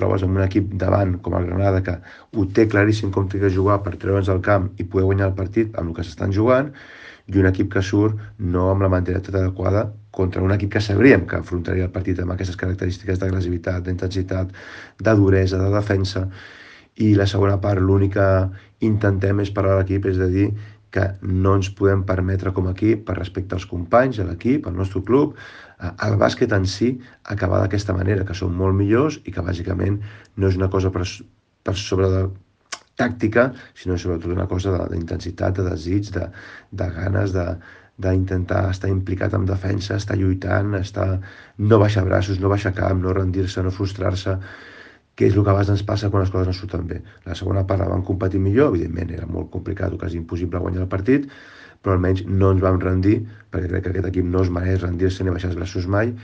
trobes amb un equip davant com el Granada que ho té claríssim com té que jugar per treure'ns al camp i poder guanyar el partit amb el que s'estan jugant, i un equip que surt no amb la mentalitat adequada contra un equip que sabríem que afrontaria el partit amb aquestes característiques d'agressivitat, d'intensitat, de duresa, de defensa. I la segona part, l'únic que intentem és parlar a l'equip, és de dir que no ens podem permetre com a equip, per respecte als companys, a l'equip, al nostre club, el bàsquet en si, acabar d'aquesta manera, que som molt millors i que bàsicament no és una cosa per sobre de tàctica, sinó sobretot una cosa d'intensitat, de desig, de ganes, d'intentar estar implicat en defensa, estar lluitant, no baixar braços, no baixar cap, no rendir-se, no frustrar-se, que és el que a vegades ens passa quan les coses no surten bé. La segona part la vam competir millor, evidentment era molt complicat o quasi impossible guanyar el partit, però almenys no ens vam rendir, perquè crec que aquest equip no es mereix rendir-se ni baixar els braços mai,